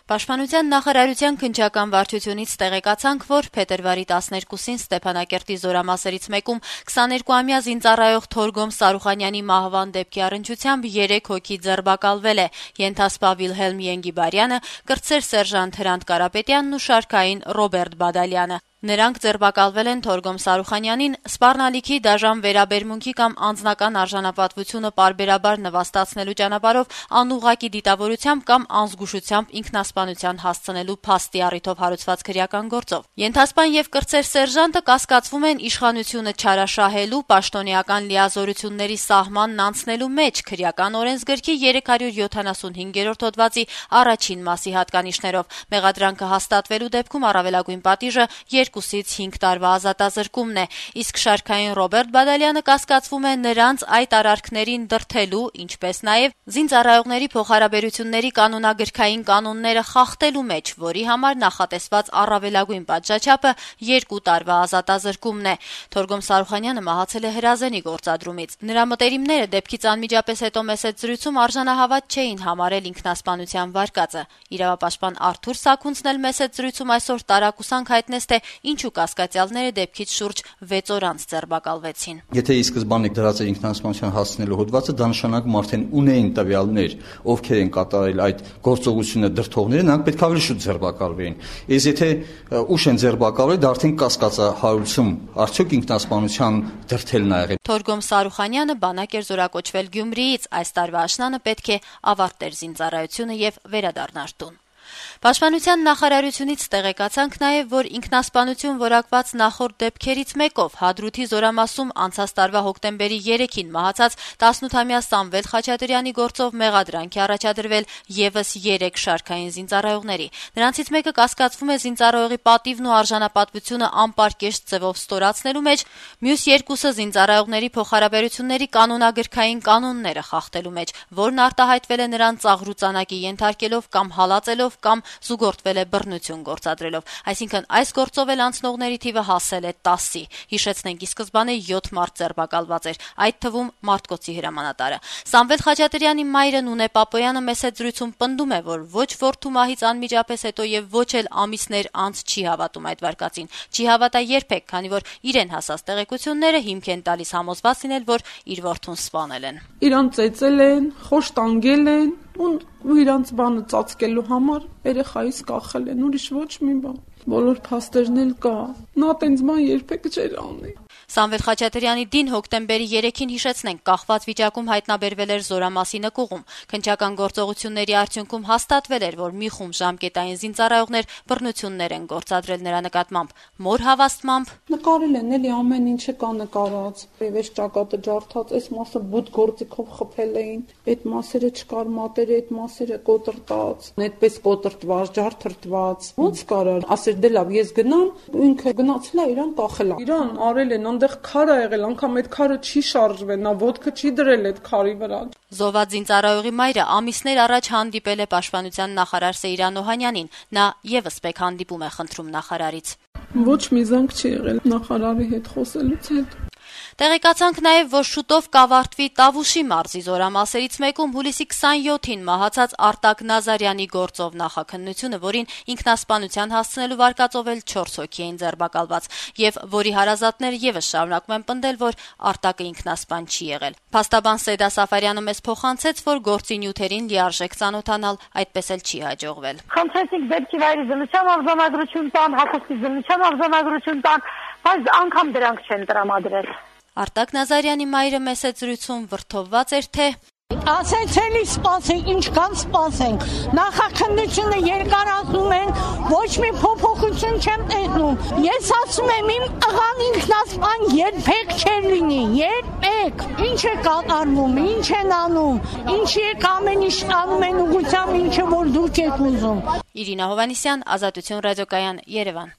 Պաշտպանության նախարարության քննչական վարչությունից տեղեկացանք, որ փետրվարի 12-ին Ստեփանակերտի զորամասերից մեկում 22-ամյա զինծառայող Թորգոմ Սարուխանյանի մահվան դեպքի առնչությամբ 3 հոգի ձերբակալվել է՝ ենթասպա Վիլհելմ Ենգիբարյանը, կրտսեր սերժանտ Հրանտ Կարապետյանն ու շարքային Ռոբերտ Բադալյանը։ Նրանք ձերբակալվել են Թորգոմ Սարուխանյանին սպառնալիքի դաժան վերաբերմունքի կամ անձնական արժանապատվությունը պարբերաբար նվաստացնելու ճանապարհով անուղղակի դիտավորությամբ կամ անզգուշությամբ ինքնասպանության հասցնելու փաստի առիթով հարուցված քրեական գործով։ Ենթասպան եւ կրտսեր սերժանտը կասկածվում են իշխանությունը չարաշահելու, պաշտոնեական լիազորությունների սահմանն անցնելու մեջ քրեական օրենսգրքի 375-րդ հոդվածի առաջին մասի հատկանիշներով։ Մեղադրանքը հաստատվելու դեպքում առավելագույն պատիժը 2-ից 5 տարվա ազատազրկումն է, իսկ շարքային Ռոբերտ Բադալյանը կասկածվում է նրանց այդ արարքներին դրդելու, ինչպես նաև զինծառայողների փոխհարաբերությունների կանոնագրքային կանոնները խախտելու մեջ, որի համար նախատեսված առավելագույն պատժաչափը 2 տարվա ազատազրկումն է։ Թորգոմ Սարուխանյանը մահացել է հրազենի գործադրումից։ Նրա մտերիմները դեպքից անմիջապես հետո մեծ զրույցում արժանահավատ չէին համարել ինքնասպանության վարկածը։ Իրավապաշտպան Արթուր Սաքունցն էլ մեծ զրույցում այսօր տարակուսանք հայտնեց, թե ինչու կասկածյալները դեպքից շուրջ 6 օր անց ձերբակալվեցին։ Եթե ի սկզբանե դրած էր ինքնասպանության հասցնելու հոդվածը, դա նշանակում արդեն ունեին տվյալներ, ովքեր են կատարել այդ գործողությունը դրդողները, նրանք պետք է ավելի շուտ ձերբակալվեին։ Իսկ եթե ուշ են ձերբակալվել, դա արդեն կասկածահարություն, արդյոք ինքնասպանության դրդելն ա եղել։ Թորգոմ Սարուխանյանը բանակ էր զորակոչվել Գյումրիից, այս տարվա աշնանը պետք է ավարտեր զինծառայությունը եւ վերադառնար տուն։ Պաշտպանության նախարարությունից տեղեկացանք նաև, որ ինքնասպանություն որակված նախորդ դեպքերից մեկով Հադրութի զորամասում անցած տարվա հոկտեմբերի 3-ին մահացած 18-ամյա Սամվել Խաչատրյանի գործով մեղադրանք է առաջադրվել եւս 3 շարքային զինծառայողների։ Նրանցից մեկը կասկածվում է զինծառայողի պատիվն ու արժանապատվությունը անպարկեշտ ձևով ստորացնելու մեջ, մյուս երկուսը զինծառայողների փոխհարաբերությունների կանոնագրքային կանոնները խախտելու մեջ, որն արտահայտվել է նրան ծաղրուծանակի ենթարկելով կամ հալածելով կամ զուգորդվել է բռնություն գործադրելով, այսինքն այս գործով էլ անցնողների թիվը հասել է 10-ի։ Հիշեցնենք, ի սկզբանե 7 մարդ ձերբակալված էր, այդ թվում Մարտկոցի հրամանատարը։ Սամվել Խաչատրյանի մայրը Նունե Պապոյանը մեծ զրույցում պնդում է, որ ոչ որդու մահից անմիջապես հետո եւ ոչ էլ ամիսներ անց չի հավատում այդ վարկածին։ Չի հավատա երբեք, քանի որ իրեն հասած տեղեկությունները հիմք են տալիս համոզված լինել, որ իր որդուն սպանել են։ Իրան ծեծել են, խոշտանգել են ու իրանց բանը ծածկելու համար երեխայից կախել են, ուրիշ ոչ մի բան։ Բոլոր փաստերն էլ կա։ Նա տենց բան երբեք չէր անի։ Սամվել Խաչատրյանի դին հոկտեմբերի 3-ին հիշեցնենք, կախված վիճակում հայտնաբերվել էր Զորամասի նկուղում։ Քննչական գործողությունների արդյունքում հաստատվել էր, որ մի խումբ ժամկետային զինծառայողներ բռնություններ են գործադրել նրա նկատմամբ։ Մոր հավաստմամբ նկարել են էլի ամեն ինչը կա նկարած։ Եվ ճակատը ջարդած, այս մասը բուտ գործիքով խփել էին, այդ մասերը չկար մատերը, այդ մասերը կոտրտած, այդպես կոտրտված, ջարդրտված։ Ոնց կարա ասել դե լավ, ես գնամ, ինքը գնացել է իրան կախել է։ Իրան արել են այնտեղ քար ա եղել, անգամ այդ քարը չի շարժվել, նա ոտքը չի դրել այդ քարի վրա։ Զոհված զինծառայողի մայրը ամիսներ առաջ հանդիպել է Պաշտպանության նախարար Սեյրան Օհանյանին։ Նա եւս մեկ հանդիպում է խնդրում նախարարից։ Ոչ մի զանգ չի եղել նախարարի հետ խոսելուց հետո։ Տեղեկացանք նաև, որ շուտով կավարտվի Տավուշի մարզի զորամասերից մեկում հուլիսի 27-ին մահացած Արտակ Նազարյանի գործով նախաքննությունը, որին ինքնասպանության հասցնելու վարկածով էլ 4 հոգի էին ձերբակալված, եւ որի հարազատները եւս շարունակում են պնդել, որ Արտակը ինքնասպան չի եղել։ Փաստաբան Սեդա Սաֆարյանը մեզ փոխանցեց, որ գործի նյութերին լիարժեք ծանոթանալ այդպես էլ չի հաջողվել։ Խնդրեցինք դեպքի վայրի զննության արձանագրություն տան, հակոստի զննության արձանագրություն տան, բայց անգամ դրանք չեն տրամադրել։ Արտակ Նազարյանի մայրը մեծ զրույցում վրդովված էր, թե ասեց էլի սպասենք, ինչ կան սպասենք։ Նախաքննությունը երկարացնում են, ոչ մի փոփոխություն չեմ տեսնում։ Ես ասում եմ, իմ աղան ինքնասպան երբեք չէր լինի, երբեք։ Ինչ է կատարվում, ինչ են անում, ինչի է ամեն ինչ անում են ուղղությամբ, ինչը որ դուք եք ուզում։ Իրինա Հովանիսյան, Ազատություն ռադիոկայան, Երևան։